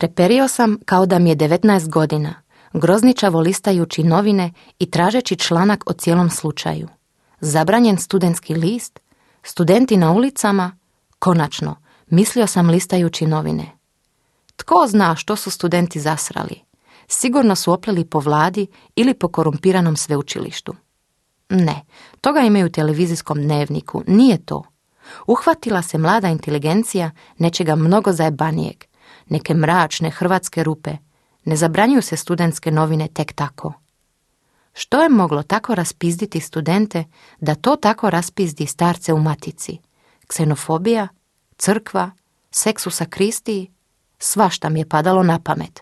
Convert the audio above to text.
Treperio sam kao da mi je 19 godina, grozničavo listajući novine i tražeći članak o cijelom slučaju. Zabranjen studentski list, studenti na ulicama, konačno, mislio sam listajući novine. Tko zna što su studenti zasrali? Sigurno su opleli po vladi ili po korumpiranom sveučilištu. Ne, toga imaju u televizijskom dnevniku, nije to. Uhvatila se mlada inteligencija nečega mnogo zajebanijeg, neke mračne hrvatske rupe. Ne zabranjuju se studentske novine tek tako. Što je moglo tako raspizditi studente da to tako raspizdi starce u matici? Ksenofobija, crkva, seks u sakristiji, svašta mi je padalo na pamet.